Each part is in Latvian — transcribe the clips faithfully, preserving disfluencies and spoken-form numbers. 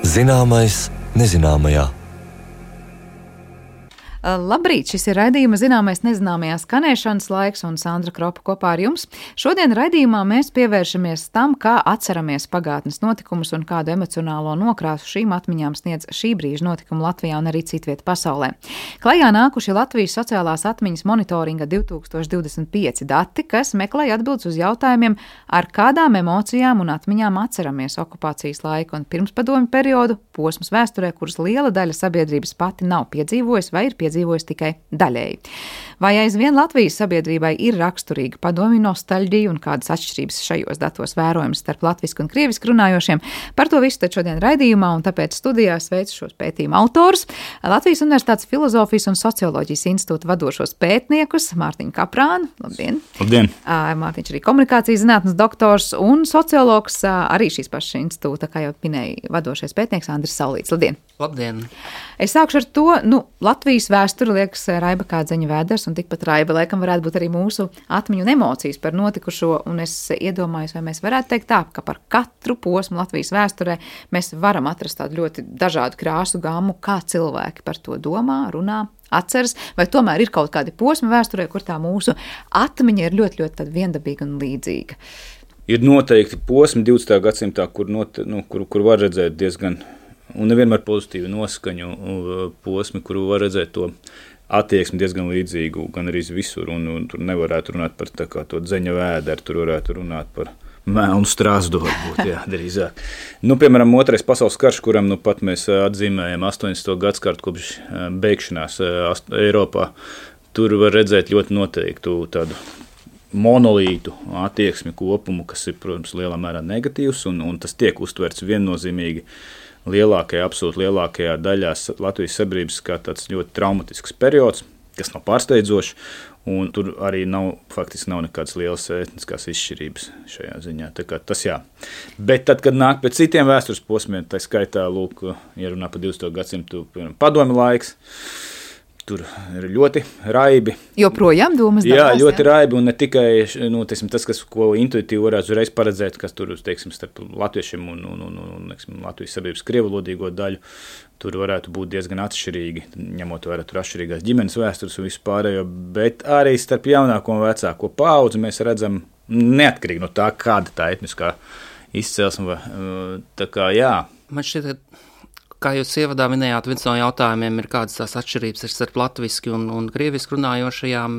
Zināmais nezināmajā. Labrīt, šis ir raidījuma Zināmais nezināmajā skanēšanas laiks un Sandra Kropa kopā ar jums. Šodien raidījumā mēs pievēršamies tam, kā atceramies pagātnes notikumus un kādu emocionālo nokrāsu šīm atmiņām sniedz šī brīža notikumi Latvijā un arī citviet pasaulē. Klajā nākuši Latvijas sociālās atmiņas monitoringa divi tūkstoši divdesmit pieci dati, kas meklēja atbildes uz jautājumiem, ar kādām emocijām un atmiņām atceramies okupācijas laiku un pirmspadomju periodu, posmus vēsturē, kuras liela daļa sabiedrības pati nav piedzīvojusi vai ir piedzīvojusi dzīvojas tikai daļēji. Vai aizvien Latvijas sabiedrībai ir raksturīga padomju nostalģija un kādas atšķirības šajos datos vērojams starp latvisku un krievisku runājošiem? Par to visu tad šodien raidījumā, un tāpēc studijā sveicu šos pētījumu autorus, Latvijas Universitātes Filozofijas un Socioloģijas institūta vadošos pētniekus Mārtiņu Kaprānu. Labdien! Labdien! Mārtiņš arī komunikācijas zinātnes doktors un sociologs, arī šīs pašas institūta, kā jau minēja, vadošais pētnieks Andris Saulīts. Labdien! Labdien! Es sākšu ar to, nu, Latvijas vēsture liekas raiba kā dzeņa vēders, un tikpat raiba laikam varētu būt arī mūsu atmiņu un emocijas par notikušo, un es iedomājos, vai mēs varētu teikt tā, ka par katru posmu Latvijas vēsturē mēs varam atrast tādu ļoti dažādu krāsu gammu, kā cilvēki par to domā, runā, atceras, vai tomēr ir kaut kādi posmi vēsturē, kur tā mūsu atmiņa ir ļoti, ļoti tāda viendabīga un līdzīga. Ir noteikti posmi divdesmitajā gadsimtā, kur, not, nu, kur, kur var redzēt diezgan un nevienmēr pozitīvu noskaņu posmi, kuru var redzēt to attieksmi diezgan līdzīgu, gan arī visur, un, un tur nevarētu runāt par tā kā to dzeņa vēderu, tur varētu runāt par melnu strāzdu, varbūt, jā, drīzāk. Nu, piemēram, otrais pasaules karš, kuram nu pat mēs atzīmējam astoņdesmito gadskārtu kopš beigšanās Eiropā, tur var redzēt ļoti noteiktu tādu monolītu attieksmi kopumu, kas ir, protams, lielā mērā negatīvs, un, un tas tiek uztverts viennozīmīgi lielākajā, absolūti lielākajā daļā Latvijas sabiedrības kā tāds ļoti traumatisks periods, kas nav pārsteidzošs, un tur arī nav, faktiski nav nekādas lielas etniskās izšķirības šajā ziņā. Tā kā tas jā. Bet tad, kad nāk pēc citiem vēstures posmiem, tā skaitā, lūk, ja runā par divdesmito gadsimtu padomju laiks, tur ir ļoti raibi. Joprojām domas jā, dalās, ļoti jā? raibi, un ne tikai nu, teiksim, tas, kas, ko intuitīvi varētu uzreiz paredzēt, kas tur, teiksim, starp latviešiem un, un, un, un teiksim, Latvijas sabiedrības krievalodīgo daļu, tur varētu būt diezgan atšķirīgi, ņemot vērā tur atšķirīgās ģimenes vēstures un visu pārējo, bet arī starp jaunāko un vecāko paudzi mēs redzam neatkarīgi no tā, kāda tā etniskā izcelsme, tā kā jā. Man šķiet, kā jūs ievadā minējāt, viens no jautājumiem ir, kādas tās atšķirības ir starp latviski un, un krieviski runājošajām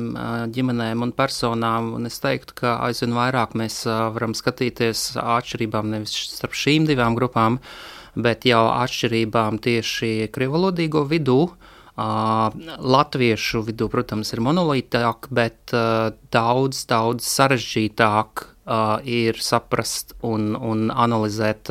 ģimenēm un personām, un es teiktu, ka aizvien vairāk mēs varam skatīties atšķirībām nevis starp šīm divām grupām, bet jau atšķirībām tieši krievalodīgo vidū. Latviešu vidū, protams, ir monolītāk, bet daudz, daudz sarežģītāk ir saprast un, un analizēt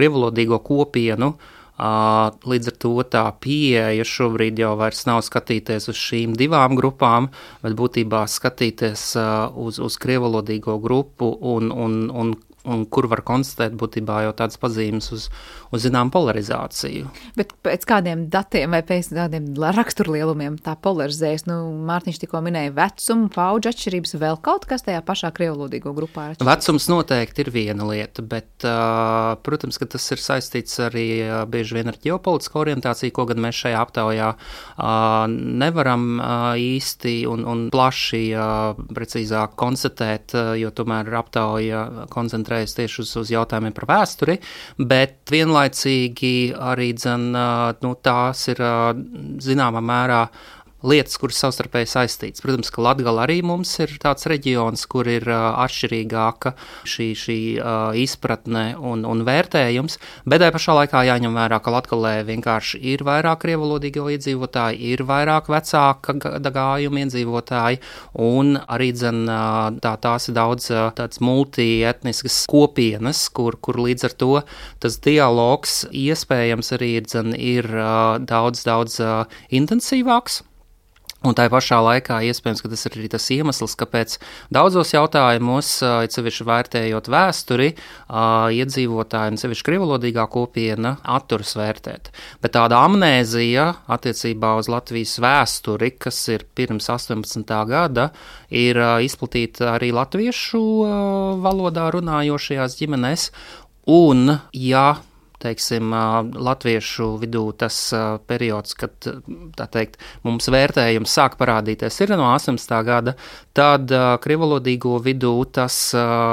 krievalodīgo kopienu. Uh, līdz ar to tā pieeja šobrīd jau vairs nav skatīties uz šīm divām grupām, bet būtībā skatīties uh, uz, uz krievalodīgo grupu un, un, un, un kur var konstatēt būtībā jau tādas pazīmes uz, uz zinām polarizāciju. Bet pēc kādiem datiem vai pēc kādiem raksturlielumiem tā polarizējas? Nu, Mārtiņš tikko minēja vecumu, paudžu atšķirības, vēl kaut kas tajā pašā krievalodīgo grupā ir atšķirības? Vecums noteikti ir viena lieta, bet, uh, protams, ka tas ir saistīts arī uh, bieži vien ar ģeopolitisku orientāciju, ko gan mēs šajā aptaujā uh, nevaram uh, īsti un, un plaši uh, precīzāk konstatēt, uh, jo tomēr aptauja koncentrē tieši uz, uz jautājumiem par vēsturi, bet vienlaicīgi arī dzen, nu, tās ir zināmā mērā lietas, kuras savstarpēji saistītas. Protams, ka Latgala arī mums ir tāds reģions, kur ir uh, atšķirīgāka šī, šī uh, izpratne un, un vērtējums, bet tai pašā laikā jāņem vērā, ka Latgalē vienkārši ir vairāk krievalodīgo iedzīvotāji, ir vairāk vecāka gājuma iedzīvotāji, un arī dzen, uh, tā, tās ir daudz uh, tāds multietniskas kopienas, kur, kur līdz ar to tas dialogs iespējams arī dzen, ir uh, daudz, daudz uh, intensīvāks. Un tā pašā laikā iespējams, ka tas ir arī tas iemesls, kāpēc daudzos jautājumos, it sevišķi vērtējot vēsturi, iedzīvotāji un sevišķi krievalodīgā kopiena atturas vērtēt. Bet tāda amnēzija attiecībā uz Latvijas vēsturi, kas ir pirms astoņpadsmitā gada, ir izplatīta arī latviešu valodā runājošajās ģimenēs. Un, ja teiksim, latviešu vidū tas periods, kad, tā teikt, mums vērtējums sāk parādīties ir no astoņdesmitā gada, tad krievalodīgo vidū tas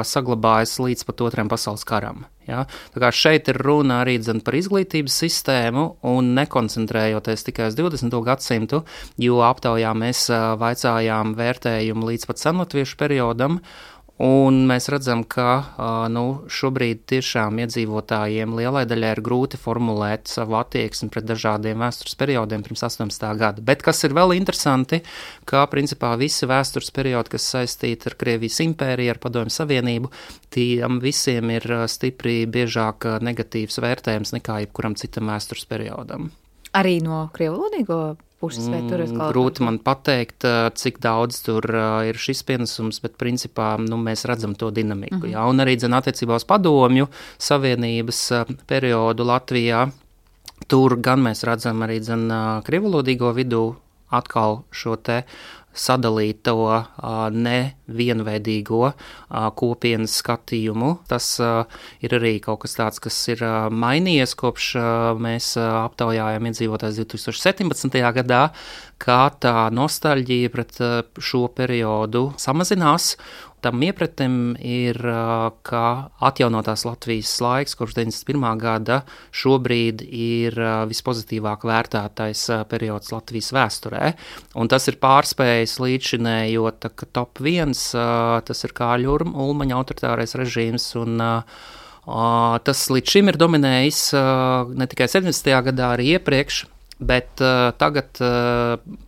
saglabājas līdz pat otrajam pasaules karam. Ja? Tā kā šeit ir runa arī dzen par izglītības sistēmu un nekoncentrējoties tikai uz divdesmito gadsimtu, jo aptaujā mēs vaicājām vērtējumu līdz pat senlatviešu periodam, un mēs redzam, ka nu, šobrīd tiešām iedzīvotājiem lielai daļai ir grūti formulēt savu attieksmi pret dažādiem vēstures periodiem pirms astoņdesmitā gada. Bet kas ir vēl interesanti, ka principā visi vēstures periodi, kas saistīti ar Krievijas impēriju, ar Padomju Savienību, tiem visiem ir stipri biežāk negatīvs vērtējums nekā jebkuram citam vēstures periodam. Arī no krievalodīgo puses, vai tur ir kaut Grūti man pateikt, cik daudz tur ir šis pienesums, bet principā nu, mēs redzam to dinamiku. Mm-hmm. Jā, un arī dzen attiecībā uz Padomju Savienības periodu Latvijā, tur gan mēs redzam arī dzen krievalodīgo vidū atkal šo te sadalīto nevienveidīgo kopienas skatījumu. Tas ir arī kaut kas tāds, kas ir mainījies kopš mēs aptaujājām iedzīvotājus divi tūkstoši septiņpadsmitajā gadā, kā tā nostalģija pret šo periodu samazinās. Tam iepratim ir, ka atjaunotās Latvijas laiks, kopš deviņdesmit pirmā gada, šobrīd ir vispozitīvāk vērtētais periods Latvijas vēsturē. Un tas ir pārspējis līdzinējot, ka top viens, tas ir Kāļa Ulmaņa autoritārais režīms, un tas līdz šim ir dominējis ne tikai septiņdesmitajā gadā, arī iepriekš, bet tagad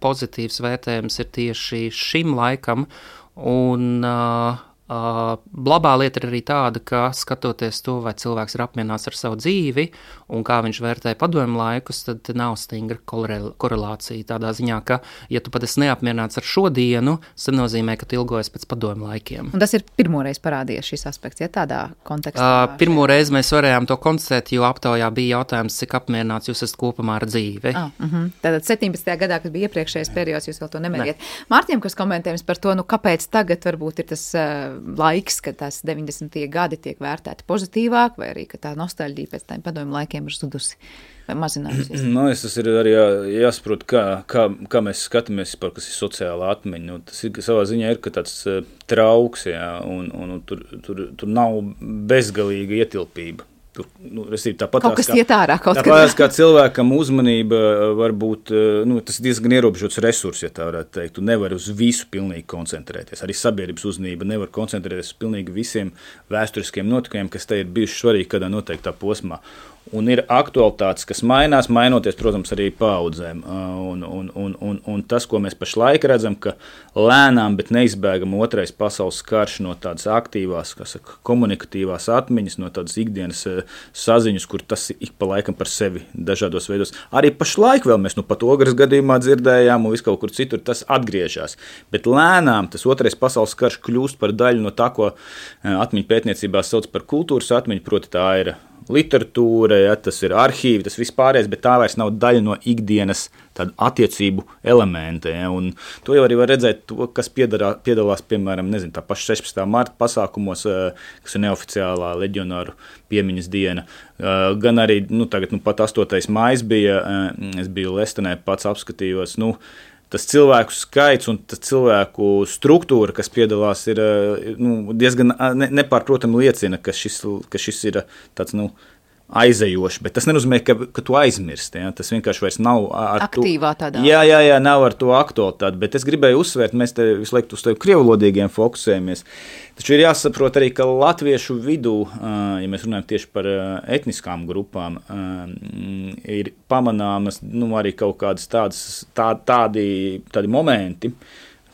pozitīvs vērtējums ir tieši šim laikam. Un uh, uh, labā lieta ir arī tāda, ka skatoties to, vai cilvēks ir apmierināts ar savu dzīvi un kā viņš vērtē padomju laikus, tad nav stingra korelācija tādā ziņā, ka, ja tu pat esi neapmierināts ar šodienu, tas nozīmē, ka tu ilgojies pēc padomju laikiem. Un tas ir pirmoreiz parādījies šis aspekts, ja tādā kontekstā? Uh, pirmoreiz mēs varējām to konstatēt, jo aptaujā bija jautājums, cik apmierināts jūs esat kopumā ar dzīvi. Ah, uh-huh. Tātad septiņpadsmitajā gadā, kad bija iepriekšējais periods, jūs vēl to nemēriet. Ne. Mārtiņam, kas komentējums par to, nu kāpēc tagad varbūt ir tas uh, laiks, kad tās deviņdesmitie gadi tiek vērtēti pozitīvāk, vai arī, ka tā nostalģija pēc tādiem padomju laikiem ir zudusi vai mazinājusies? Nu, tas ir arī jā, jāsaprot, kā, kā, kā mēs skatāmies par, kas ir sociāla atmiņa. Nu, tas ir, savā ziņā ir, ka tāds uh, trauks, jā, un, un, un tur, tur, tur nav bezgalīga ietilpība. Tur, nu, tāpat kaut kas kā, iet ārā kaut tāpēc, kā cilvēkam uzmanība var būt, nu, tas ir diezgan ierobežots resurs, ja tā varētu teikt. Tu nevari uz visu pilnīgi koncentrēties. Arī sabiedrības uzmanība nevar koncentrēties uz pilnīgi visiem vēsturiskiem notikumiem, kas te ir bijuši svarīgi kādā noteiktā posmā. Un ir aktualitātes, kas mainās, mainoties, protams, arī paudzēm. Un, un, un, un, un tas, ko mēs pašlaik redzam, ka lēnām, bet neizbēgam otrais pasaules karš no tādas aktīvās, kas saka, komunikatīvās atmiņas, no tādas ikdienas saziņas, kur tas ik pa laikam par sevi dažādos veidos. Arī pašlaik vēl mēs nu pat Ogres gadījumā dzirdējām un visu kaut kur citur tas atgriežas. Bet lēnām tas otrais pasaules karš kļūst par daļu no tā, ko atmiņu pētniecībā sauc par kultūras atmiņu, proti tā ir literatūra, ja, tas ir arhīvi, tas vispārējais, bet tā vairs nav daļa no ikdienas tādu attiecību elementa. Ja, un to jau arī var redzēt, to, kas piedarā, piedalās, piemēram, nezinu, tā paša sešpadsmitā marta pasākumos, kas ir neoficiālā leģionāru piemiņas diena. Gan arī, nu, tagad, nu, pat astotais maijs bija, es biju Lestenē, pats apskatījos, nu, tas cilvēku skaits un tas cilvēku struktūra, kas piedalās, ir nu, diezgan ne, nepārprotami liecina, ka šis, ka šis ir tāds, nu, aizejoši, bet tas nenozīmē, ka, ka tu aizmirsti. Ja? Tas vienkārši vairs nav ar aktīvā tādā. Jā, jā, jā, nav ar to aktualitāti, bet es gribēju uzsvērt, mēs te visu laiku uz tevi krievulodīgiem fokusējamies. Taču ir jāsaprot arī, ka latviešu vidū, ja mēs runājam tieši par etniskām grupām, ir pamanāmas nu, arī kaut kādas tādas, tā, tādi, tādi momenti,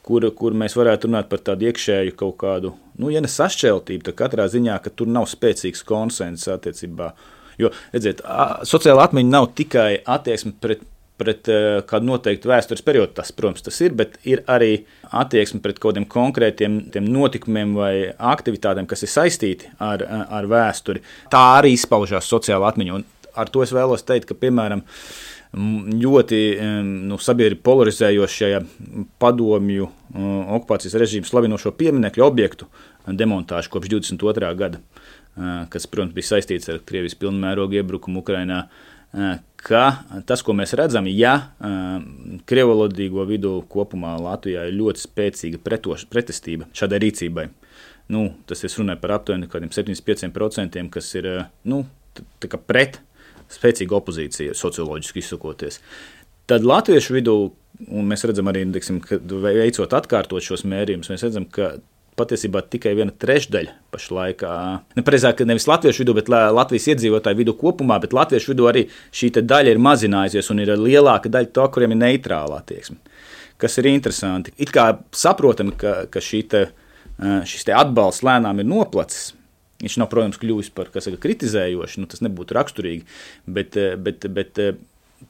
kur, kur mēs varētu runāt par tādu iekšēju kaut kādu, nu, ja ne sašķeltību, tad katrā ziņā, ka tur nav spēcīgs konsens attiecībā. Jo, redziet, sociāla atmiņa nav tikai attieksme pret, pret kādu noteiktu vēstures periodu, tas, protams, tas ir, bet ir arī attieksme pret kaut kādiem konkrētiem tiem notikumiem vai aktivitātēm, kas ir saistīti ar, ar vēsturi. Tā arī izpaužās sociāla atmiņa, un ar to es vēlos teikt, ka, piemēram, ļoti nu, sabiedrību polarizējošajā padomju okupācijas režīmu slavinošo pieminekļu objektu demontāžu kopš divdesmit otrā gada. kas, protams, bija saistīts ar Krievijas pilnmērogu iebrukumu Ukrainā, ka tas, ko mēs redzam, ja krievalodīgo vidu kopumā Latvijā ir ļoti spēcīga pretoš, pretestība šādai rīcībai. Nu, tas es runāju par aptuveni kādiem septiņdesmit pieciem procentiem, kas ir nu, tā kā pret spēcīgu opozīciju, socioloģiski izsakoties. Tad latviešu vidū, un mēs redzam arī, deksim, kad veicot atkārtot šos mērījumus, mēs redzam, ka patiesībā tikai viena trešdaļa pašlaik, nepareizāk, nevis latviešu vidū, bet Latvijas iedzīvotāju vidū kopumā, bet latviešu vidū arī šī daļa ir mazinājusies un ir lielāka daļa to, kuriem ir neitrāla attieksme. Kas ir interesanti. It kā saprotam, ka, ka šī te, šis te atbalsts lēnām ir noplacis. Viņš nav, protams, kļuvis par, kas saka, kritizējoši, nu tas nebūtu raksturīgi, bet, bet, bet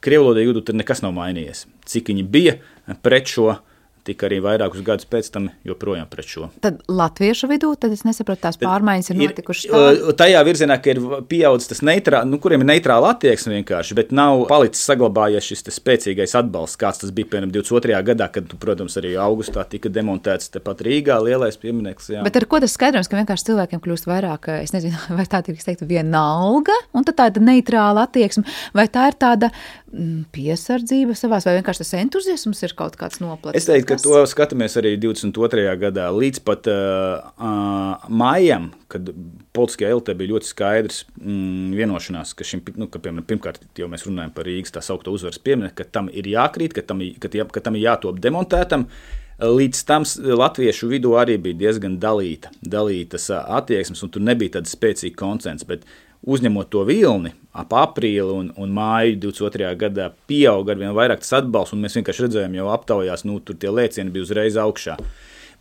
krievlodīgu vidū tad nekas nav mainījies. Cik viņi bija pret šo, tika arī vairākus gadus pēc tam joprojām pret šo. Tad latviešu vidū, tad es nesaprotu, tās pārmaiņas ir notikušas tā? Tajā virzienā, ka ir pieaudzis tas neitrā, nu, kuriem ir neitrāla attieksme vienkārši, bet nav palicis saglabājies šis spēcīgais atbalsts, kāds tas bija, piemēram, divdesmit otrajā gadā, kad, protams, arī augustā tika demontēts tepat Rīgā lielais piemineklis. Jā. Bet ar ko tas skaidrojums, ka vienkārši cilvēkiem kļūst vairāk, es nezinu, vai tā tiek teikt vienalga, un tad tāda neitrāla attieksme, vai tā ir tāda piesardzība savās, vai vienkārši tas entuziasms ir kaut kāds noplacis? Es teiktu, ka to skatāmies arī divdesmit otrajā gadā līdz pat uh, uh, mājam, kad politiskajā elitē bija ļoti skaidrs mm, vienošanās, ka, šim, nu, ka piemēram, pirmkārt jau mēs runājam par Rīgas tā saukto uzvaras pieminieku, ka tam ir jākrīt, ka tam, ka, ka tam ir jātop demontētam. Līdz tam latviešu vidū arī bija diezgan dalīta, dalītas attieksmes, un tur nebija tāda spēcīga konsens, bet uzņemot to vilni ap aprīli un, un māju divdesmit otrajā gadā pieauga arvien vairāk tas atbalsts, un mēs vienkārši redzējām jau aptaujās, nu, tur tie lēcieni bija uzreiz augšā.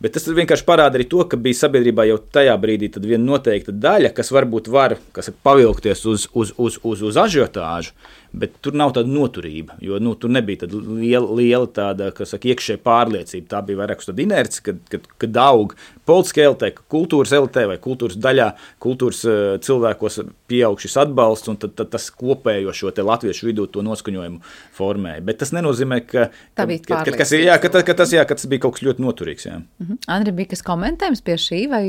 Bet tas vienkārši parāda arī to, ka bija sabiedrībā jau tajā brīdī tad viena noteikta daļa, kas varbūt var, kas pavilkties uz, uz, uz, uz, uz ažiotāžu, bet tur nav tāda noturība, jo nu, tur nebija tāda liela, liela tāda, kas saka, iekšēja pārliecība. Tā bija vairāk uz tāda inerci, kad, kad, kad aug politiskā elitē, kultūras elitē vai kultūras daļā, kultūras uh, cilvēkos pieaug šis atbalsts, un tad, tad tas kopējo šo te latviešu vidū to noskaņojumu formēja. Bet tas nenozīmē, ka, ka, ka, ka, kas, jā, ka, ka, tas, jā, ka tas bija kaut kas ļoti noturīgs. Jā. Uh-huh. Andri, bija kas komentējums pie šī, vai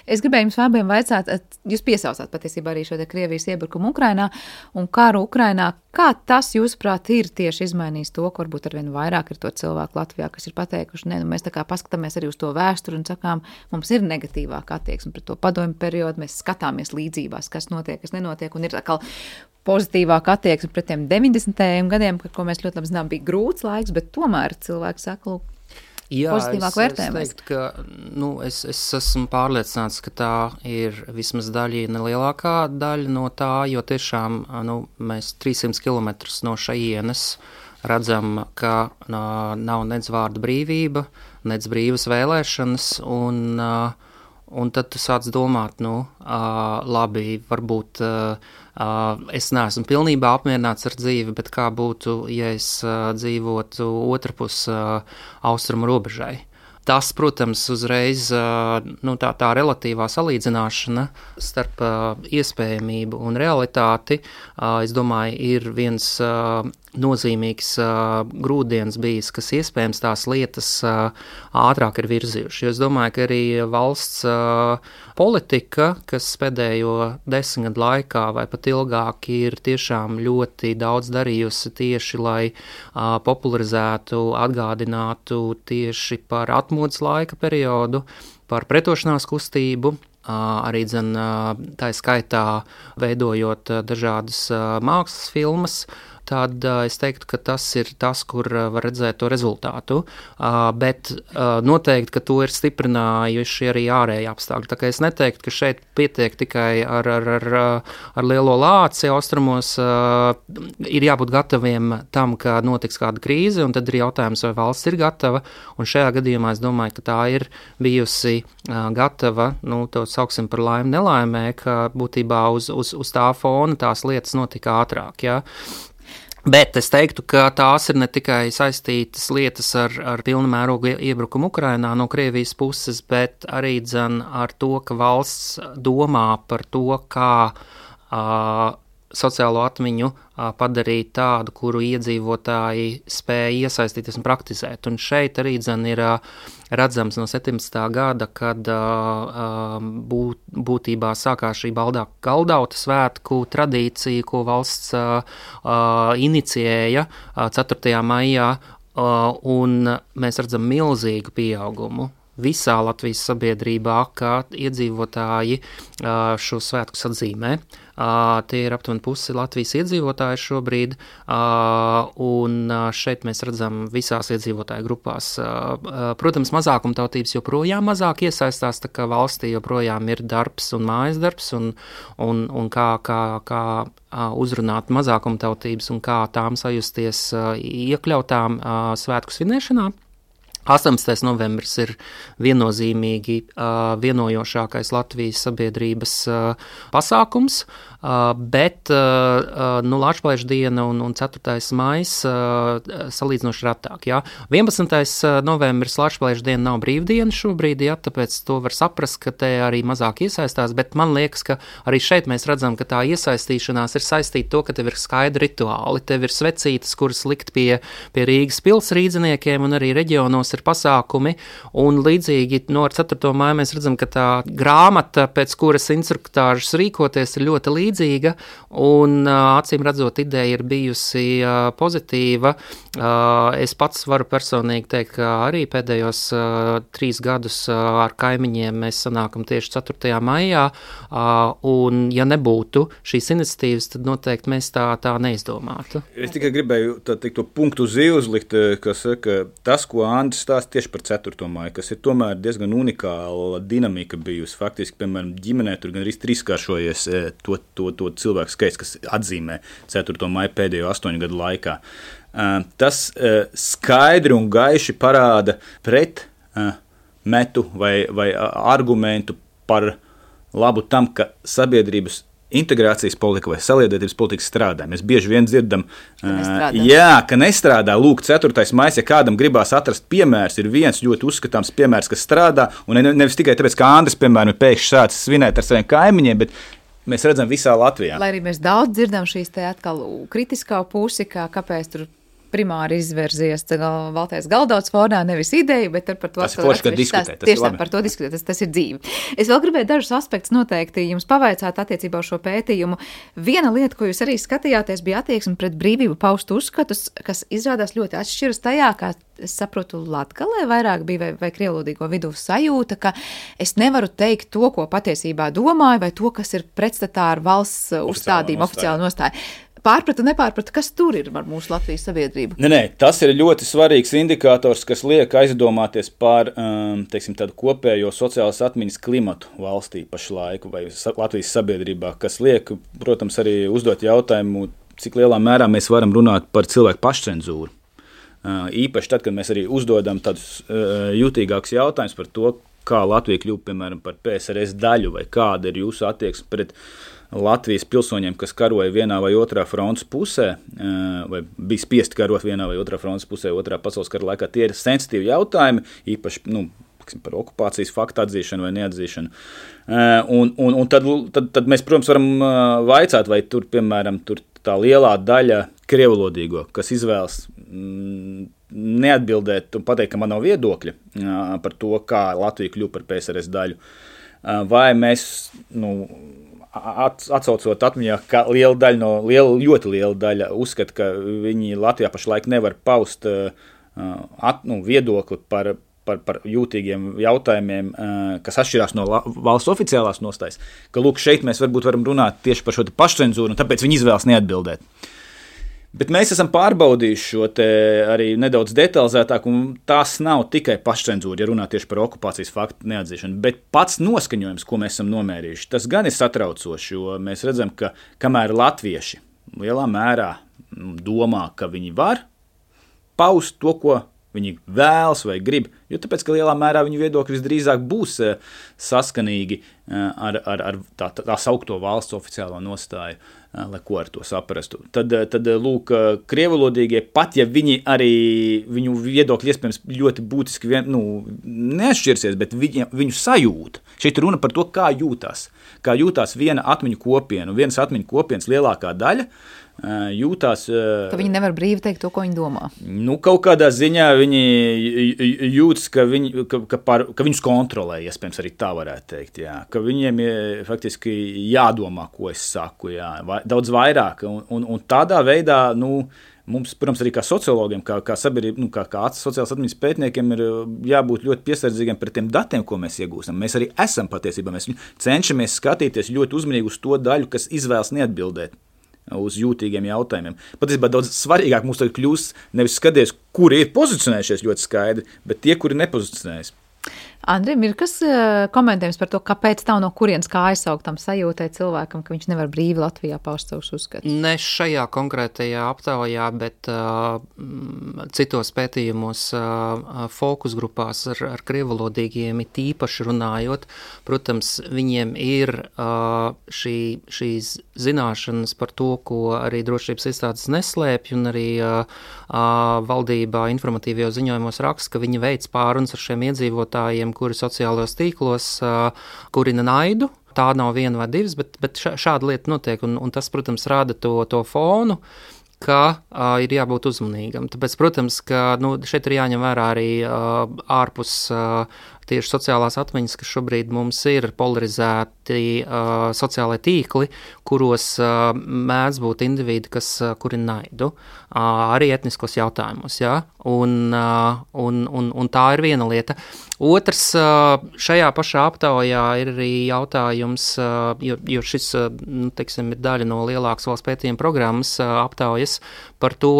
es gribēju jums abiem vaicāt, jūs piesaucāt patiesībā arī šo te Krievijas iebrukumu Ukrainā un karu Ukrainā, kā tas, jūsuprāt, ir tieši izmainījis to, ka varbūt arvien vairāk ir to cilvēku Latvijā, kas ir pateikuši, ne, nu mēs tā kā paskatāmies arī uz to vēsturi un sakām, mums ir negatīvāka attieksme pret to padomju periodu, mēs skatāmies līdzībās, kas notiek, kas nenotiek, un ir atkal pozitīvāka attieksme pret tiem deviņdesmitajiem gadiem, ko mēs ļoti labi zinām, bija grūts laiks, bet tomēr cilvēki saka, lūk, Jā, pozitīvāk vērtējumu. Es, es teiktu, ka nu, es, es esmu pārliecināts, ka tā ir vismaz daļa, nelielākā daļa no tā, jo tiešām nu, mēs trīssimt kilometrus no šajienes redzam, ka nā, nav nec vārda brīvība, nec brīvas vēlēšanas, un, un tad tu sāc domāt, nu, labi, varbūt es neesmu pilnībā apmierināts ar dzīvi, bet kā būtu, ja es dzīvotu otrpus austrumu robežai. Tas, protams, uzreiz nu, tā, tā relatīvā salīdzināšana starp iespējamību un realitāti, es domāju, ir viens nozīmīgs grūdienis bijis, kas iespējams tās lietas ātrāk ir virzījuši. Jo es domāju, ka arī valsts politika, kas pēdējo desmit gadu laikā vai pat ilgāk ir tiešām ļoti daudz darījusi tieši, lai popularizētu, atgādinātu tieši par atmodas laika periodu, par pretošanās kustību, arī dzen, tā skaitā veidojot dažādas mākslas filmas, tad es teiktu, ka tas ir tas, kur var redzēt to rezultātu, bet noteikti, ka to ir stiprinājuši arī ārēji apstākļi. Tā kā es neteiktu, ka šeit pietiek tikai ar, ar, ar, ar lielo lāci austrumos, ir jābūt gataviem tam, ka notiks kāda krīze, un tad ir jautājums, vai valsts ir gatava, un šajā gadījumā es domāju, ka tā ir bijusi gatava, nu, to sauksim par laimi nelaimē, ka būtībā uz, uz, uz tā fona tās lietas notika ātrāk, jā. Bet es teiktu, ka tās ir ne tikai saistītas lietas ar, ar pilnu mērogu iebrukumu Ukrainā no Krievijas puses, bet arī dzen ar to, ka valsts domā par to, kā uh, sociālo atmiņu padarīt tādu, kuru iedzīvotāji spēja iesaistīties un praktizēt. Un šeit arī dzen ir redzams no septiņdesmitā gada, kad būt, būtībā sākās šī baldā galdauta svētku tradīcija, ko valsts inicijēja ceturtajā maijā, un mēs redzam milzīgu pieaugumu visā Latvijas sabiedrībā, kā iedzīvotāji šo svētku atzīmē. Tie ir aptuveni pusi Latvijas iedzīvotāji šobrīd, un šeit mēs redzam visās iedzīvotāju grupās. Protams, mazākumtautības joprojām mazāk iesaistās, tā kā valstī joprojām ir darbs un mājas darbs, un, un, un kā, kā, kā uzrunāt mazākumtautības un kā tām sajusties iekļautām svētku svinēšanā. astoņpadsmitais novembris ir viennozīmīgi uh, vienojošākais Latvijas sabiedrības uh, pasākums, uh, bet uh, nu, Latvijas diena un, un ceturtais maijs uh, salīdzinoši retāk. Jā. vienpadsmitais novembris Latvijas diena nav brīvdiena šobrīd, jā, tāpēc to var saprast, ka te arī mazāk iesaistās, bet man liekas, ka arī šeit mēs redzam, ka tā iesaistīšanās ir saistīta to, ka tev ir skaidri rituāli, tev ir svecītes, kuras likt pie, pie Rīgas pils rīdziniekiem un arī reģionos ir pasākumi, un līdzīgi no ar ceturto māju mēs redzam, ka tā grāmata, pēc kuras instruktāžas rīkoties, ir ļoti līdzīga, un acīm redzot ideja ir bijusi pozitīva. Es pats varu personīgi teikt, ka arī pēdējos trīs gadus ar kaimiņiem mēs sanākam tieši ceturtajā maijā, un ja nebūtu šīs iniciatīvas, tad noteikti mēs tā, tā neizdomātu. Es tikai gribēju tā, teikt, to punktu uz i uzlikt, kas saka, tas, ko Andris stāsta tieši par ceturto māju, kas ir tomēr diezgan unikāla dinamika bijusi. Faktiski, piemēram, ģimenē tur gan arī trīskāršojies to, to, to cilvēku skaits, kas atzīmē ceturto māju pēdējo astoņu gadu laikā. Tas skaidri un gaiši parāda pret metu vai, vai argumentu par labu tam, ka sabiedrības integrācijas politika vai saliedētības politika strādā. Mēs bieži vien dzirdam, ka jā, ka nestrādā. Lūk, ceturtais maijs, ja kādam gribās atrast piemērs, ir viens ļoti uzskatāms piemērs, kas strādā, un nevis tikai tāpēc, ka Andris, piemēram, ir pēkšņi sācis svinēt ar saviem kaimiņiem, bet mēs redzam visā Latvijā. Lai arī mēs daudz dzirdam šīs te atkal kritiskā pusi, kā kāpēc tur primāri izverzies Valters Galdauts fonā, nevis ideja, bet par to tas ir forši, ka diskutē. Tas tieši tā, par to diskutē, tas, tas ir dzīve. Es vēl gribēju dažus aspektus noteikti jums pavaicāt attiecībā uz šo pētījumu. Viena lieta, ko jūs arī skatījāties, bija attieksme pret brīvību paust uzskatus, kas izrādās ļoti atšķiras tajā, kā es saprotu, Latgalē vairāk bija vai, vai krievlūdīgo vidū sajūta, ka es nevaru teikt to, ko patiesībā domāju, vai to, kas ir pretstatā ar valsts uzstādījumu, oficiālu nostāju. Pārpratu, nepārpratu, kas tur ir ar mūsu Latvijas sabiedrību? Nē, nē, tas ir ļoti svarīgs indikators, kas liek aizdomāties par um, teiksim, tādu kopējo sociālas atmiņas klimatu valstī pašlaiku vai Latvijas sabiedrībā, kas liek, protams, arī uzdot jautājumu, cik lielā mērā mēs varam runāt par cilvēku pašcenzūru. Uh, īpaši tad, kad mēs arī uzdodam tādus uh, jutīgākus jautājumus par to, kā Latvija kļūst, piemēram, par P S R S daļu, vai kāda ir jūsu attieksme pret Latvijas pilsoņiem, kas karoja vienā vai otrā frontes pusē, vai bija spiesti karot vienā vai otrā frontes pusē, otrā pasaules kara laikā. Tie ir sensitīvi jautājumi, īpaši nu, par okupācijas faktu atzīšanu vai neatzīšanu. Un, un, un tad, tad, tad mēs, protams, varam vaicāt, vai tur, piemēram, tur tā lielā daļa krievulodīgo, kas izvēlas neatbildēt un pateikt, ka man nav viedokļa par to, kā Latvija kļūst par P S R S daļu, vai mēs, nu, atsaucot atmiņā, ka liela daļa no, liela, ļoti liela daļa uzskata, ka viņi Latvijā pašlaik nevar paust at, nu, viedokli par, par, par jūtīgiem jautājumiem, kas atšķirās no valsts oficiālās nostājas, ka lūk, šeit mēs varbūt varam runāt tieši par šo te pašcenzūru, un tāpēc viņi izvēlas neatbildēt. Bet mēs esam pārbaudījuši šo te arī nedaudz detalizētāk, un tās nav tikai pašcenzūra, ja runā tieši par okupācijas faktu neatzīšanu, bet pats noskaņojums, ko mēs esam nomērījuši, tas gan ir satraucoši, jo mēs redzam, ka kamēr latvieši lielā mērā domā, ka viņi var paust to, ko viņi vēlas vai grib, jo tāpēc, ka lielā mērā viņu viedokļi visdrīzāk būs saskanīgi ar, ar, ar tā, tā saukto valsts oficiālo nostāju. lai ko ar to saprastu. Tad, tad lūk, krievalodīgie, pat ja viņi arī, viņu viedokļi iespējams ļoti būtiski vien, nu, neatšķirsies, bet viņi, viņu sajūt. Šeit runa par to, kā jūtās. Kā jūtās viena atmiņu kopiena, un vienas atmiņu kopienas lielākā daļa jūtās... Ka viņi nevar brīvi teikt to, ko viņi domā. Nu, kaut kādā ziņā viņi jūtas, ka, viņi, ka, ka, par, ka viņus kontrolē, iespējams arī tā varētu teikt, jā. Ka viņiem ir faktiski jādomā, ko es saku, jā, daudz vairāk, un, un, un tādā veidā, nu, mums, protams, arī kā sociologiem, kā, kā sabiedrība, nu, kā, kā sociālas atmiņas pētniekiem ir jābūt ļoti piesardzīgiem pret tiem datiem, ko mēs iegūstam. Mēs arī esam patiesībā, mēs cenšamies skatīties ļoti uzmanīgi uz to daļu, kas izvēlas neatbildēt uz jūtīgiem jautājumiem. Patiesībā daudz svarīgāk mums tagad kļūst nevis skaties, kuri ir pozicionējušies ļoti skaidri, bet tie, kuri nepozicionējas. Andrim, ir kas komentējums par to, kāpēc tā no kurienes kā aizsauktam sajūtai cilvēkam, ka viņš nevar brīvi Latvijā paust savus uzskatus? Ne šajā konkrētajā aptaujā, bet uh, citos pētījumos uh, fokus grupās ar, ar krievalodīgiem ir tīpaši runājot. Protams, viņiem ir uh, šī, šīs zināšanas par to, ko arī drošības iestādes neslēpj, un arī uh, uh, valdībā informatīvajos ziņojumos raksta, ka viņi veic pārunas ar šiem iedzīvotājiem, kuri sociālajos tīklos uh, kurina naidu. Tā nav viena vai divas, bet, bet šāda lieta notiek, un, un tas, protams, rāda to, to fonu, ka uh, ir jābūt uzmanīgam. Tāpēc, protams, ka nu, šeit ir jāņem vērā arī uh, ārpus uh, tieši sociālās atmiņas, ka šobrīd mums ir polarizēti uh, sociālai tīkli, kuros uh, mēdz būt individi, kas uh, kurina naidu, uh, arī etniskos jautājumos, jā, un, uh, un, un, un tā ir viena lieta. Otrs, šajā pašā aptaujā ir arī jautājums, jo, jo šis, nu, teiksim, ir daļa no lielākas valsts pētījuma programmas aptaujas par to,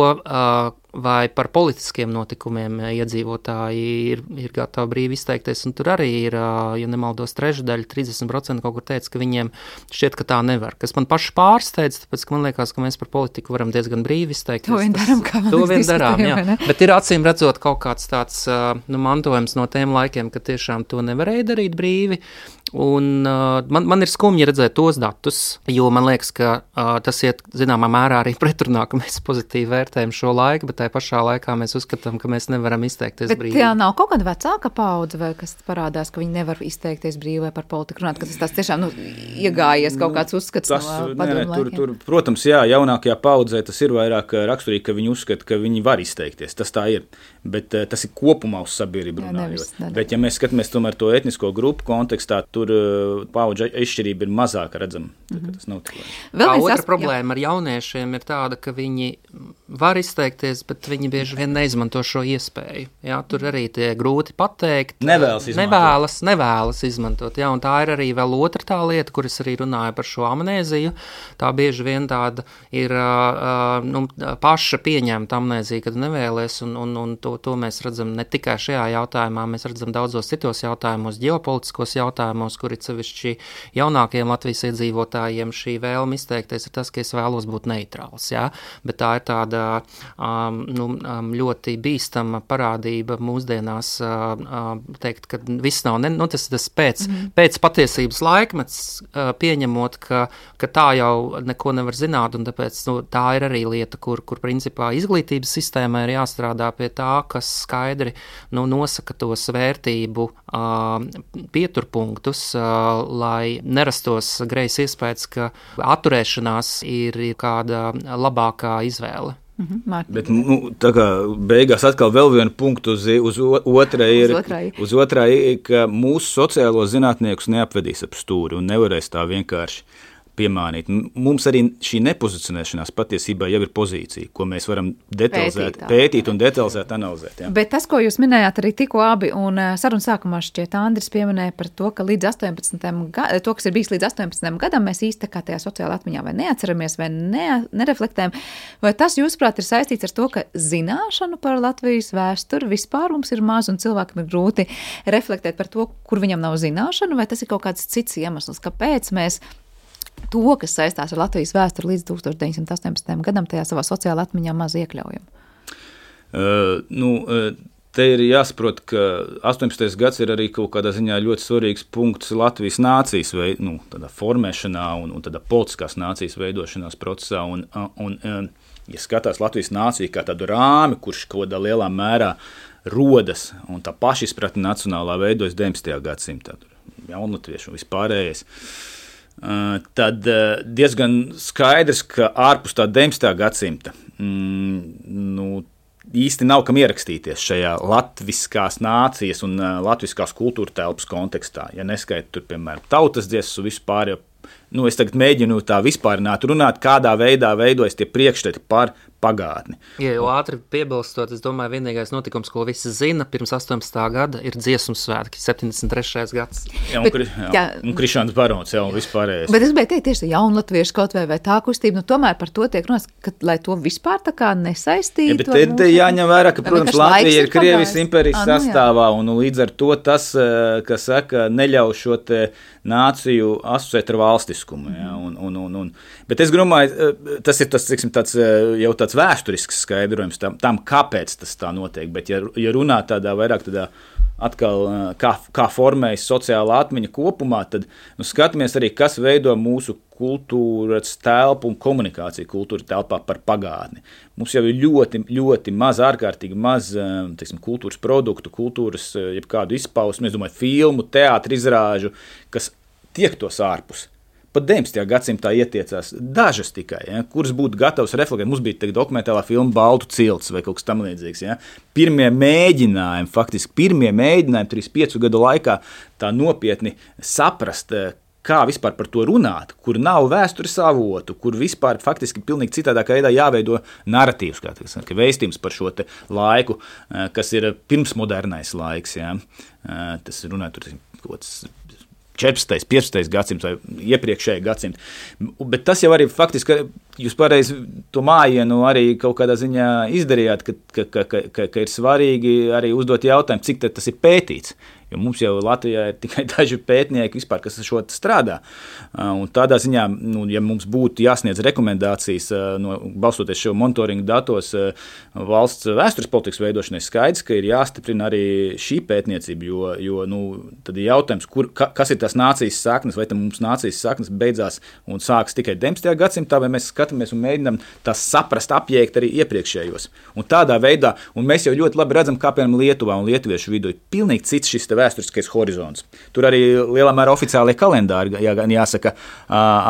vai par politiskiem notikumiem iedzīvotāji ir, ir gatavi brīvi izteikties, un tur arī ir, ja nemaldos, trešdaļa, trīsdesmit procenti kaut kur teica, ka viņiem šķiet, ka tā nevar. Kas man paši pārsteidz, tāpēc, ka man liekas, ka mēs par politiku varam diezgan brīvi izteikties. To vien darām, kā to vien darām, jā. Bet ir acīm redzot kaut kāds tāds, nu, mantojums no tiem laikiem, ka tiešām to nevarēja darīt brīvi, un uh, man, man ir skumji redzēt tos datus, jo man liekas, ka uh, tas iet zināmā mērā arī pretrunā, ka mēs pozitīvi vērtējam šo laiku, bet tajā pašā laikā mēs uzskatām, ka mēs nevaram izteikties bet brīvi. Bet tā nav kaut kāda vecāka paudze, vai kas parādās, ka viņi nevar izteikties brīvi vai par politiku runāt, ka tas tās tiešām, nu, iegājies kaut kāds uzskats tas, no nē, padomu nē, tur, laikiem? tur, protams, jā, jaunākajā paudzē tas ir vairāk raksturīgi, ka viņi uzskata, ka viņi var izteikties, tas tā ir, bet uh, tas ir kopumā uz sabiedrību runājot. Bet ja mēs skatāmies tomēr to etnisko grupu kontekstā, tur uh, paudžu izšķirība ir mazāka redzama. Mm-hmm. Tas nav tik labi. Otra as... problēma ar jauniešiem ir tāda, ka viņi var izteikties, bet viņi bieži vien neizmanto šo iespēju. Jā, tur arī tie grūti pateikt. Nevēlas izmantot. Nevēlas, nevēlas izmantot. Jā, un tā ir arī vēl otra tā lieta, kur es arī runāju par šo amnēziju. Tā bieži vien tāda ir uh, nu, paša pieņemta amnēzija, kad nevēlies, un, un, un to, to mēs redzam ne tikai šajā jautājumā, mēs redzam daudzos citos jautājumos, ģeopolitiskos jautājumos, kur ir sevišķi jaunākiem Latvijas iedzīvotājiem šī vēlme izteikties ir tas, ka es vēlos būt neitrāls, jā, bet tā ir tāda um, nu, um, ļoti bīstama parādība mūsdienās, uh, teikt, ka viss nav, ne, nu tas tas pēc, mm-hmm. pēc patiesības laikmets, uh, pieņemot, ka, ka tā jau neko nevar zināt, un tāpēc nu, tā ir arī lieta, kur, kur principā izglītības sistēmai ir jāstrādā pie tā, kas skaidri nu, nosaka tos vērtību uh, pieturpunktus, uh, lai nerastos greizs iespējas, ka atturēšanās ir kāda labākā izvēle. Mm-hmm. Bet, nu, tā kā beigās atkal vēl vienu punktu uz, uz otrā ir, uz otrā. uz otrā ir, ka mūsu sociālo zinātniekus neapvedīs ap stūri un nevarēs tā vienkārši piemānīt. Mums arī šī nepozicionēšanās patiesībā jau ir pozīcija, ko mēs varam detalizēt, pētīt, pētīt un detalizēt analizēt. Jā. Bet tas, ko jūs minējāt arī tikko abi, un sarunas sākumā šķiet Andris pieminēja par to, ka līdz astoņpadsmitajam gadam, to, kas ir bijis līdz astoņpadsmitajam gadam, mēs īsti kā tajā sociālā atmiņā vai neatceramies, vai ne, nereflektējam. Vai tas, jūsuprāt, ir saistīts ar to, ka zināšanu par Latvijas vēsturi vispār mums ir maz un cilvēkam ir grūti reflektēt par to, kur viņam nav zināšanu, vai tas ir kaut kāds cits iemesls, kāpēc mēs to, kas saistās ar Latvijas vēsturi līdz tūkstoš deviņsimt astoņpadsmitajam gadam, tajā savā sociālā atmiņā maz iekļaujam? Uh, nu, uh, te ir jāsaprot, ka astoņpadsmitais gads ir arī kaut kādā ziņā ļoti svarīgs punkts Latvijas nācijas veid, nu, tādā formēšanā un, un tādā politiskās nācijas veidošanās procesā. Un, un, ja skatās Latvijas nāciju kā tādu rāmi, kurš kaut kādā lielā mērā rodas un tā pašizpratne nacionālā veidojas deviņpadsmitajā gadsimtā, jaunatviešu un vispārējais, tad diezgan skaidrs, ka ārpus tā deviņpadsmitā gadsimta mm, nu, īsti nav kam ierakstīties šajā latviskās nācijas un latviskās kultūra telpas kontekstā. Ja neskaita tur, piemēram, tautas dziesmas un vispār, jo, nu, es tagad mēģinu tā vispārināt runāt, kādā veidā veidojas tie priekšstati par pagātni. Ja jau ātri piebilstot, es domāju, vienīgais notikums, ko visi zina, pirms astoņpadsmitā gada ir dziesmu svētki, septiņdesmit trešais gads. Jā, un, bet, kri, jā, un Krišāns Barons, jā, un vispārējais. Bet es gribēju teikt, tieši jaunatviešu kaut vai, vai tā kustība, nu tomēr par to tiek runāts, ka, lai to vispār tā kā nesaistītu. Ja, bet te, te jāņem vērā, ka, protams, Latvija ir Krievijas impērijas nu, sastāvā, un līdz ar to tas, kas saka, neļauj šo te nāciju asociēt ar valstiskumu. Jā, un, un, un, un. Bet es domāju, tas ir tas, tiksim, tāds, jau tāds vēsturisks skaidrojums tam, tam, kāpēc tas tā notiek. Bet, ja, ja runā tādā vairāk tādā atkal, kā, kā formējas sociālā atmiņa kopumā, tad nu, skatāmies arī, kas veido mūsu kultūras telpu un komunikāciju kultūra telpā par pagātni. Mums jau ir ļoti, ļoti maz, ārkārtīgi maz, teiksim, kultūras produktu, kultūras, jebkādu izpausmi, es domāju, filmu, teātri izrāžu, kas tiektos ārpus. Pat deviņpadsmitajā gadsimtā ietiecās dažas tikai, ja, kuras būtu gatavas reflektēt. Mums bija dokumentālā filma Baltu cilts vai kaut kas tam līdzīgs. Ja. Pirmie mēģinājumi, faktiski pirmie mēģinājumi trīsdesmit piecu gadu laikā tā nopietni saprast, kā vispār par to runāt, kur nav vēstures avotu, kur vispār faktiski pilnīgi citādākā veidā jāveido narratīvs, kā tas, ka vēstījums par šo te laiku, kas ir pirmsmodernais laiks. Ja. Tas runā tur kaut kāds četrpadsmitais, piecpadsmitais gadsimts vai iepriekšēji gadsimti. Bet tas jau arī faktiski, jūs pareizi to mājienu arī kaut kādā ziņā izdarījāt, ka, ka, ka, ka, ka ir svarīgi arī uzdot jautājumu, cik tas ir pētīts. Jo mums jau Latvijā ir tikai daži pētnieki vispār, kas ar šo strādā. Un tādā ziņā, nu, ja mums būtu jāsniedz rekomendācijas, no, balstoties šo monitoringu datos valsts vēstures politikas veidošanai, skaidrs, ka ir jāstiprina arī šī pētniecība, jo, jo nu, tad ir jautājums, kur, ka, kas ir tās nācijas saknes, vai tam mums nācijas saknes beidzās un sāks tikai deviņpadsmitajā gadsimtā, vai mēs skatāmies un mēģinām tās saprast, apjēgt arī iepriekšējos. Un tādā veidā, un mēs jau ļoti labi redzam, kā piemēram Lietuvā un lietuviešu vidū ir pilnīgi cits šis vēsturiskais horizonts. Tur arī lielā mērā oficiālie kalendāri, jā, jāsaka,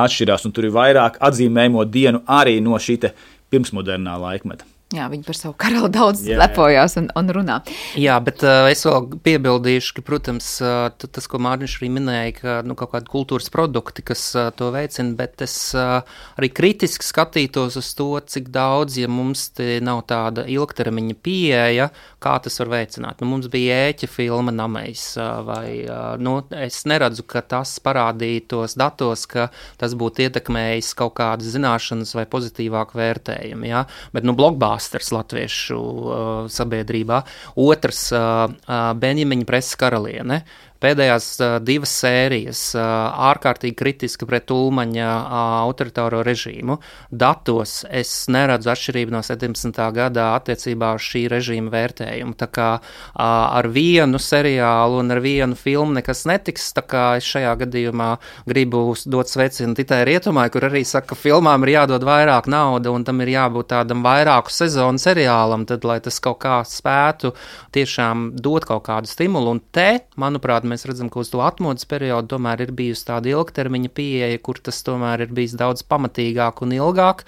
atšķirās, un tur ir vairāk atzīmējumu dienu arī no šī pirmsmodernā laikmeta. Jā, viņi par savu karali daudz jā, lepojās un, un runā. Jā, bet uh, es vēl piebildīšu, ka, protams, uh, tas, ko Mārtiņš arī minēja, ka nu, kaut kādi kultūras produkti, kas uh, to veicina, bet es uh, arī kritiski skatītos uz to, cik daudz, ja mums te nav tāda ilgtermiņa pieeja, kā tas var veicināt. Nu, mums bija ēķa filma Namejs, uh, vai uh, nu, es neredzu, ka tas parādītos datos, ka tas būtu ietekmējis kaut kādas zināšanas vai pozitīvāku vērtējumu, jā, bet nu blogbā latviešu uh, sabiedrībā. Otrs, uh, uh, Benjamiņa preses karaliene. Pēdējās uh, divas sērijas uh, ārkārtīgi kritiski pret Ulmaņa uh, autoritāro režīmu. Datos es neredzu atšķirību no septiņdesmitā gadā attiecībā uz šī režīma vērtējumu. Tā kā uh, ar vienu seriālu un ar vienu filmu nekas netiks, tā kā es šajā gadījumā gribu dot sveicienu Titai Rietumai, kur arī saka, ka filmām ir jādod vairāk nauda un tam ir jābūt tādam vairāku sezonu seriālam, tad, lai tas kaut kā spētu tiešām dot kaut kādu stimulu. Un te, manuprāt, mēs redzam, ka uz to atmodas periodu tomēr ir bijusi tāda ilgtermiņa pieeja, kur tas tomēr ir bijis daudz pamatīgāk un ilgāk,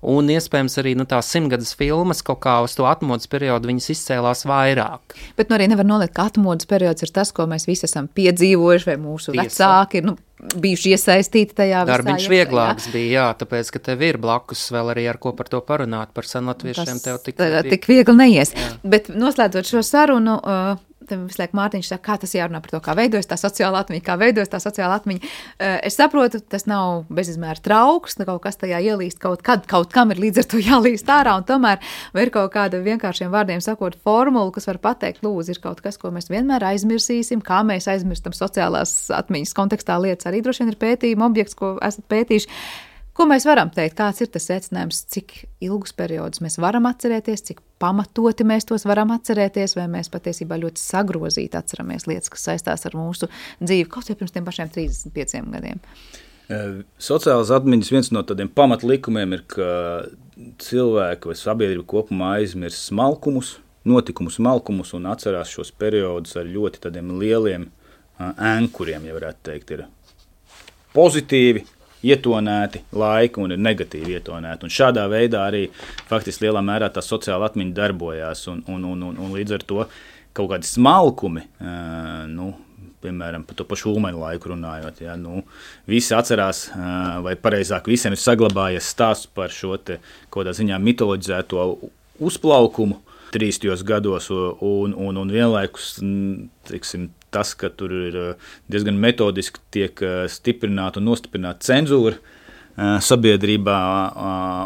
un iespējams arī nu, tās simtgades filmas kaut kā uz to atmodas periodu viņas izcēlās vairāk. Bet nu arī nevar noliekt, ka atmodas periods ir tas, ko mēs visi esam piedzīvojuši, vai mūsu Tiesa. Vecāki ir nu, bijuši iesaistīti tajā visā. Darbiņš vieglāks bija, jā, tāpēc, ka tev ir blakus vēl arī ar ko par to parunāt, par senlatviešiem tev tik, tā, tik viegli neies. Jā. Bet noslēdzot šo sarunu, uh, visu laiku Mārtiņš saka, kā tas jārunā par to, kā veidojas tā sociāla atmiņa, kā veidojas tā sociāla atmiņa. Es saprotu, tas nav bezizmēra trauks, kaut kas tajā ielīst kaut kad, kaut kam ir līdz ar to jālīst ārā, un tomēr ir kaut kāda vienkāršiem vārdiem sakot formula, kas var pateikt, lūdzu, ir kaut kas, ko mēs vienmēr aizmirsīsim, kā mēs aizmirstam sociālās atmiņas kontekstā lietas. Arī droši vien ir pētījuma objekts, ko esat pētījuši. Ko mēs varam teikt? Kāds ir tas secinājums, cik ilgus periodus mēs varam atcerēties, cik pamatoti mēs tos varam atcerēties, vai mēs patiesībā ļoti sagrozīti atceramies lietas, kas saistās ar mūsu dzīvi, kaut vai pirms tiem pašiem trīsdesmit pieciem gadiem? Sociālās atmiņas viens no tādiem pamatlikumiem ir, ka cilvēki vai sabiedrība kopumā aizmirst smalkumus, notikumus, smalkumus un atcerās šos periodus ar ļoti tādiem lieliem ēnkuriem, ja varētu teikt, ir pozitīvi ietonēti laiki un ir negatīvi ietonēti. Un šādā veidā arī faktiski lielā mērā tā sociāla atmiņa darbojās un, un, un, un, un līdz ar to kaut kādi smalkumi, nu, piemēram, par to pašu Ulmaņa laiku runājot, ja, nu, visi atcerās, vai pareizāk visiem ir saglabājies stāsts par šo te kaut kādā ziņā mitoloģizēto uzplaukumu trīstajos gados un, un, un vienlaikus, teiksim, tas, ka tur ir diezgan metodiski tiek stiprināta un nostiprināta cenzūra sabiedrībā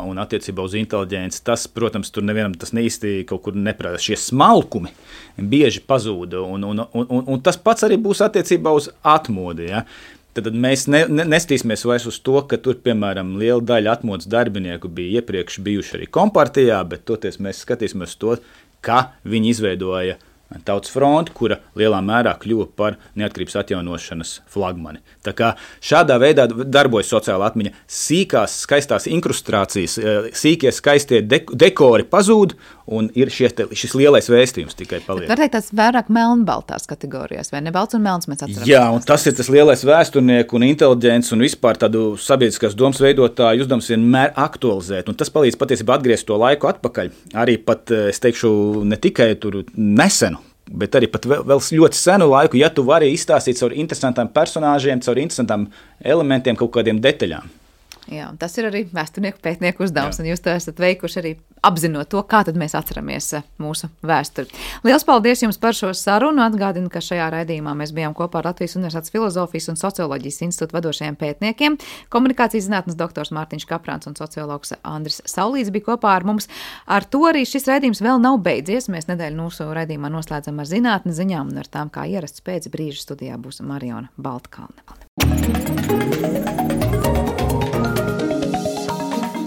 un attiecībā uz inteliģenci. Tas, protams, tur nevienam tas neīsti kaut kur neprātā. Šie smalkumi bieži pazūda, un, un, un, un, un tas pats arī būs attiecībā uz atmodi. Ja? Tad mēs ne, ne, nestīsimies vairs uz to, ka tur, piemēram, liela daļa atmodas darbinieku bija iepriekš bijuši arī kompartijā, bet toties mēs skatīsimies to, ka viņi izveidoja Tautas fronti, kura lielā mērā kļuva par neatkarības atjaunošanas flagmani. Tā kā šādā veidā darbojas sociāla atmiņa. Sīkās, skaistās inkrustrācijas, sīkie, skaistie dekori pazūd, un ir šie, šis lielais vēstījums tikai paliek. Var teikt, tas vairāk melnbaltās kategorijās, vai ne? Balts un melns mēs atceramies. Jā, un tas ir tas lielais vēsturnieku un inteliģents un vispār tādu sabiedriskās domas veidotāju uzdevums vienmēr aktualizēt, un tas palīdz patiesībā atgriezt to laiku atpakaļ. Arī pat, es teikšu, ne tikai tur nesenu, bet arī pat vēl, vēl ļoti senu laiku, ja tu vari izstāstīt caur interesantām personāžiem, caur interesantām elementiem, kaut kādiem detaļām. Jā, un tas ir arī vēsturnieku pētnieku uzdevums, Jā. un jūs to esat veikuši arī apzinot to, kā tad mēs atceramies mūsu vēsturi. Liels paldies jums par šo sarunu. Atgādinu, ka šajā raidījumā mēs bijām kopā ar Latvijas Universitātes Filozofijas un Socioloģijas institūta vadošajiem pētniekiem. Komunikācijas zinātnes doktors Mārtiņš Kaprāns un sociologs Andris Saulīts bija kopā ar mums. Ar to arī šis raidījums vēl nav beidzies. Mēs nedēļu mūsu raidījumā noslēdzam ar zinātnes ziņām un ar tām, kā ierasts pēc brīža studijā būs Mariona Baltkalne.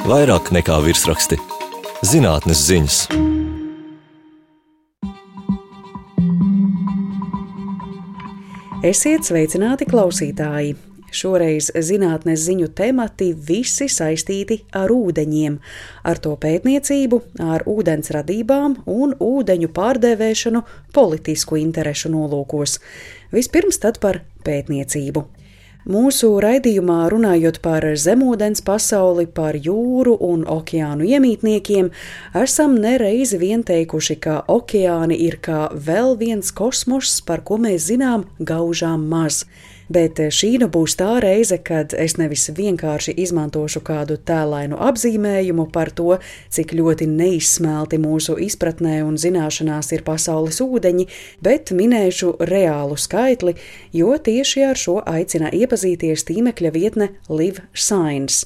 Vairāk nekā virsraksti. Zinātnes ziņas. Esiet sveicināti, klausītāji! Šoreiz zinātnes ziņu temati visi saistīti ar ūdeņiem, ar to pētniecību, ar ūdens radībām un ūdeņu pārdēvēšanu politisku interešu nolūkos. Vispirms tad par pētniecību. Mūsu raidījumā runājot par zemūdens pasauli, par jūru un okeānu iemītniekiem, esam nereizi vien teikuši, ka okeāni ir kā vēl viens kosmoss, par ko mēs zinām gaužām maz. Bet šī nu būs tā reize, kad es nevis vienkārši izmantošu kādu tēlainu apzīmējumu par to, cik ļoti neizsmelti mūsu izpratnē un zināšanās ir pasaules ūdeņi, bet minēšu reālu skaitli, jo tieši ar šo aicina iepazīties tīmekļa vietne Live Science.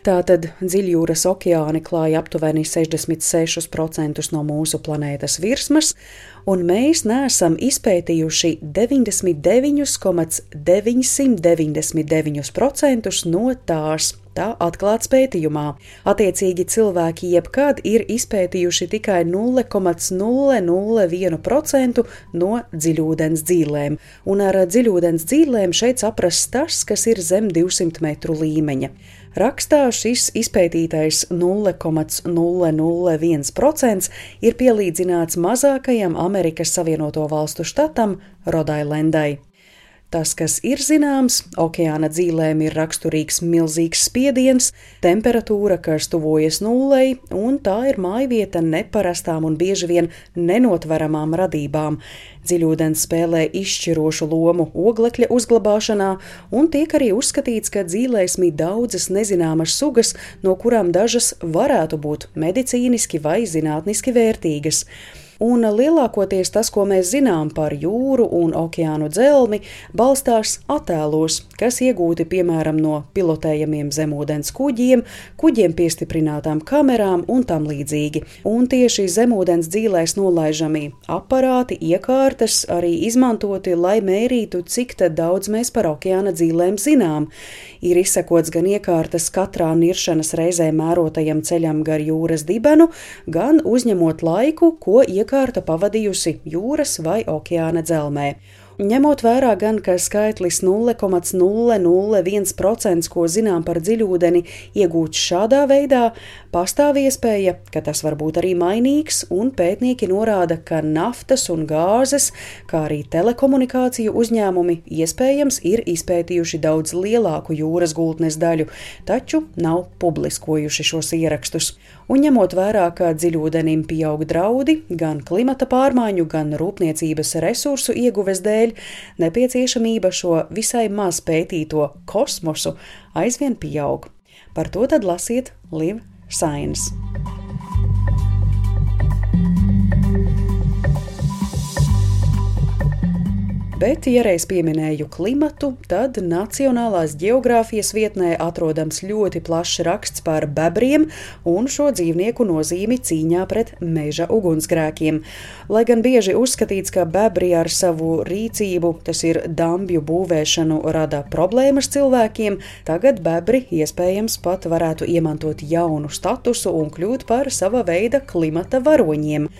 Tātad dziļjūras okeāni klāja aptuveni sešdesmit sešus procentus no mūsu planētas virsmas, un mēs neesam izpētījuši deviņdesmit deviņus komats deviņsimt deviņdesmit deviņus procentus no tās. Tā atklāts pētījumā. Attiecīgi cilvēki jebkad ir izpētījuši tikai nulle komats nulle nulle viens procents no dziļūdens dzīlēm, un ar dziļūdens dzīlēm šeit saprast tas, kas ir zem divsimt metru līmeņa. Rakstā šis izpētītais nulle komats nulle nulle viens procents ir pielīdzināts mazākajam Amerikas Savienoto Valstu štatam Rodailendai. Tas, kas ir zināms, okeāna dzīlēm ir raksturīgs milzīgs spiediens, temperatūra, kas tuvojas nullei, un tā ir mājvieta neparastām un bieži vien nenotveramām radībām. Dziļūdens spēlē izšķirošu lomu oglekļa uzglabāšanā, un tiek arī uzskatīts, ka dzīlēs mīt daudzas nezināmas sugas, no kurām dažas varētu būt medicīniski vai zinātniski vērtīgas. Un lielākoties tas, ko mēs zinām par jūru un okeānu dzelmi, balstās attēlos, kas iegūti piemēram no pilotējamiem zemūdens kuģiem, kuģiem piestiprinātām kamerām un tam līdzīgi. Un tieši zemūdens dzīlēs nolaižami aparāti, iekārtas arī izmantoti, lai mērītu, cik tad daudz mēs par okeāna dzīlēm zinām. Ir izsekots gan iekārtas katrā niršanas reizē mērotajam ceļam gar jūras dibenu, gan uzņemot laiku, ko iekārta pavadījusi jūras vai okeāna dzelmē. Ņemot vērā gan, ka skaitlis nulle komats nulle nulle viens procents, ko zinām par dziļūdeni, iegūts šādā veidā, pastāv iespēja, ka tas var būt arī mainīgs, un pētnieki norāda, ka naftas un gāzes, kā arī telekomunikāciju uzņēmumi iespējams ir izpētījuši daudz lielāku jūras gultnes daļu, taču nav publiskojuši šos ierakstus. Un ņemot vērā, ka dziļūdenim pieaug draudi gan klimata pārmaiņu, gan rūpniecības resursu ieguves dēļ, nepieciešamība šo visai maz pētīto kosmosu aizvien pieaug. Par to tad lasiet Live Science. Bet, ja reiz pieminēju klimatu, tad Nacionālās ģeogrāfijas vietnē atrodams ļoti plašs raksts par bebriem un šo dzīvnieku nozīmi cīņā pret meža ugunsgrēkiem. Lai gan bieži uzskatīts, ka bebri ar savu rīcību, tas ir dambju būvēšanu, rada problēmas cilvēkiem, tagad bebri iespējams pat varētu iemantot jaunu statusu un kļūt par sava veida klimata varoņiem.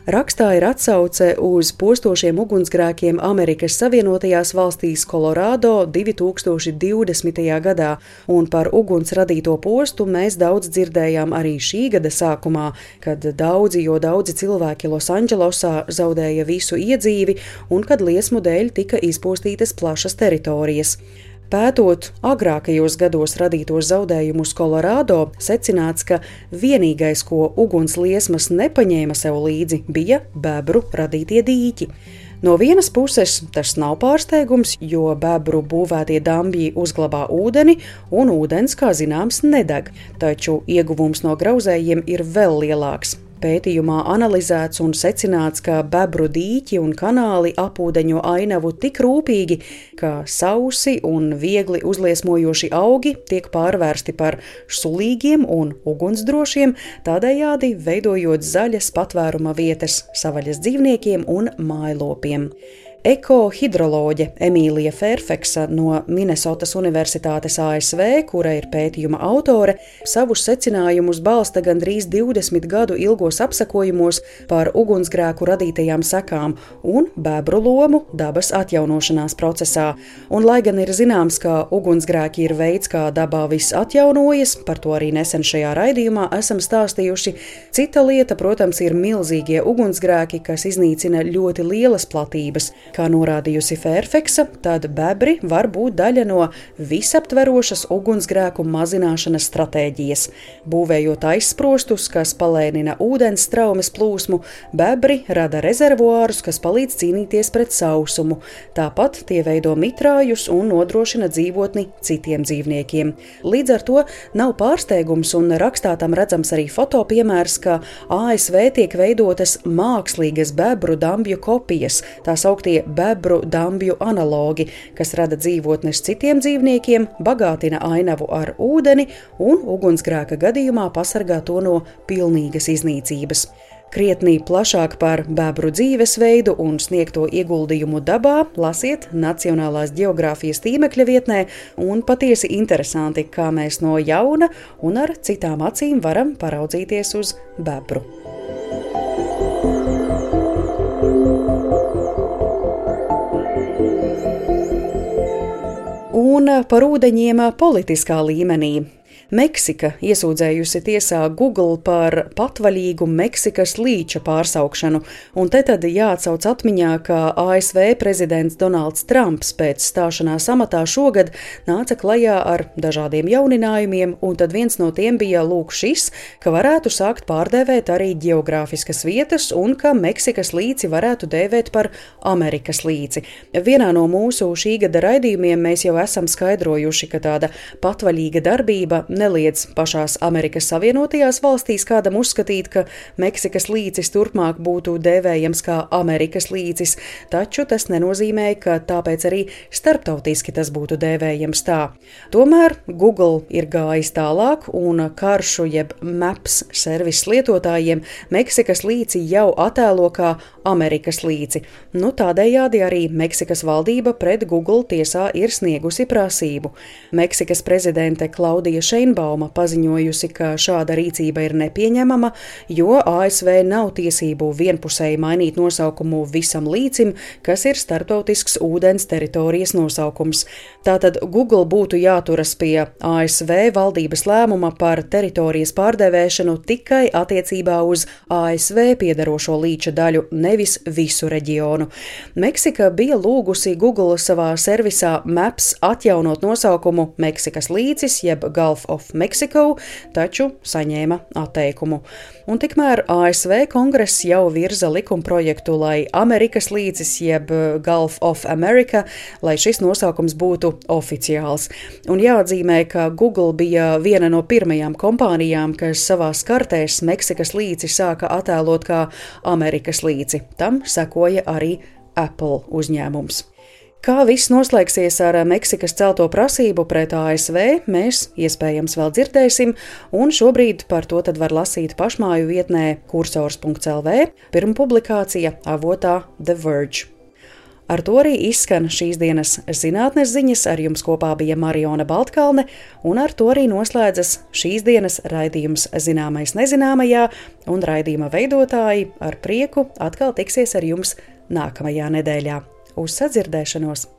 Rakstā ir atsauce uz postošiem ugunsgrēkiem Amerikas Savienotajās valstīs Kolorādo divi tūkstoši divdesmitajā gadā, un par uguns radīto postu mēs daudz dzirdējām arī šī gada sākumā, kad daudzi, jo daudzi cilvēki Losandželosā zaudēja visu iedzīvi un kad liesmu dēļ tika izpostītas plašas teritorijas. Pētot agrākajos gados radītos zaudējumus Kolorādo, secināts, ka vienīgais, ko ugunsliesmas nepaņēma sev līdzi, bija bebru radītie dīķi. No vienas puses tas nav pārsteigums, jo bebru būvētie dambji uzglabā ūdeni, un ūdens, kā zināms, nedeg, taču ieguvums no grauzējiem ir vēl lielāks. Pētījumā analizēts un secināts, ka bebru dīķi un kanāli apūdeņo ainavu tik rūpīgi, ka sausi un viegli uzliesmojoši augi tiek pārvērsti par sulīgiem un ugunsdrošiem, tādējādi veidojot zaļas patvēruma vietas savaļas dzīvniekiem un mājlopiem. Ekohidroloģe Emīlija Fairfaxa no Minesotas Universitātes A S V, kura ir pētījuma autore, savus secinājumus balsta gandrīz divdesmit gadu ilgos apsekojumos par ugunsgrēku radītajām sekām un bebru lomu dabas atjaunošanās procesā. Un, lai gan ir zināms, ka ugunsgrēki ir veids, kā dabā viss atjaunojas, par to arī nesen šajā raidījumā esam stāstījuši, cita lieta, protams, ir milzīgie ugunsgrēki, kas iznīcina ļoti lielas platības. Kā norādījusi Fairfaxa, tad bebri var būt daļa no visaptverošas ugunsgrēku mazināšanas stratēģijas. Būvējot aizsprostus, kas palēnina ūdens straumes plūsmu, bebri rada rezervuārus, kas palīdz cīnīties pret sausumu. Tāpat tie veido mitrājus un nodrošina dzīvotni citiem dzīvniekiem. Līdz ar to nav pārsteigums, un rakstā tam redzams arī fotopiemērs, ka A S V tiek veidotas mākslīgas bebru dambju kopijas, tā sauktie bebru dambju analogi, kas rada dzīvotnes citiem dzīvniekiem, bagātina ainavu ar ūdeni un ugunsgrēka gadījumā pasargā to no pilnīgas iznīcības. Krietnī plašāk par bebru dzīvesveidu un sniegto ieguldījumu dabā lasiet Nacionālās ģeogrāfijas tīmekļa vietnē, un patiesi interesanti, kā mēs no jauna un ar citām acīm varam paraudzīties uz bebru. Un par ūdeņiem politiskā līmenī. Meksika iesūdzējusi tiesā Google par patvaļīgu Meksikas līča pārsaukšanu, un te tad jāatsauc atmiņā, ka A S V prezidents Donalds Trumps pēc stāšanās amatā šogad nāca klajā ar dažādiem jauninājumiem, un tad viens no tiem bija lūk šis, ka varētu sākt pārdēvēt arī ģeogrāfiskas vietas un ka Meksikas līci varētu dēvēt par Amerikas līci. Vienā no mūsu šī gada raidījumiem mēs jau esam skaidrojuši, ka tāda patvaļīga darbība neliedz pašās Amerikas Savienotajās valstīs kādam uzskatīt, ka Meksikas līcis turpmāk būtu dēvējams kā Amerikas līcis, taču tas nenozīmē, ka tāpēc arī starptautiski tas būtu dēvējams tā. Tomēr Google ir gājis tālāk un karšu jeb Maps servis lietotājiem Meksikas līci jau attēlo kā Amerikas līci. Nu, tādējādi arī Meksikas valdība pret Google tiesā ir sniegusi prasību. Meksikas prezidente Klaudija Šeinbauma paziņojusi, ka šāda rīcība ir nepieņemama, jo A S V nav tiesību vienpusēji mainīt nosaukumu visam līcim, kas ir starptautisks ūdens teritorijas nosaukums. Tātad Google būtu jāturas pie A S V valdības lēmuma par teritorijas pārdevēšanu tikai attiecībā uz A S V piedarošo līča daļu, nevis visu reģionu. Meksika bija lūgusi Google savā servisā Maps atjaunot nosaukumu Meksikas līcis jeb Gulf of Mexico, taču saņēma atteikumu. Un tikmēr A S V kongress jau virza likumprojektu, lai Amerikas līcis jeb Gulf of America, lai šis nosaukums būtu oficiāls. Un jāatzīmē, ka Google bija viena no pirmajām kompānijām, kas savās kartēs Meksikas līci sāka attēlot kā Amerikas līci. Tam sekoja arī Apple uzņēmums. Kā viss noslēgsies ar Meksikas celto prasību pret A S V, mēs iespējams vēl dzirdēsim, un šobrīd par to tad var lasīt pašmāju vietnē kursors punkts el vē, pirma publikācija avotā The Verge. Ar to arī izskan šīs dienas zinātnes ziņas, ar jums kopā bija Mariona Baltkalne, un ar to arī noslēdzas šīs dienas raidījums Zināmais nezināmajā, un raidījuma veidotāji ar prieku atkal tiksies ar jums nākamajā nedēļā. Uz sadzirdēšanos!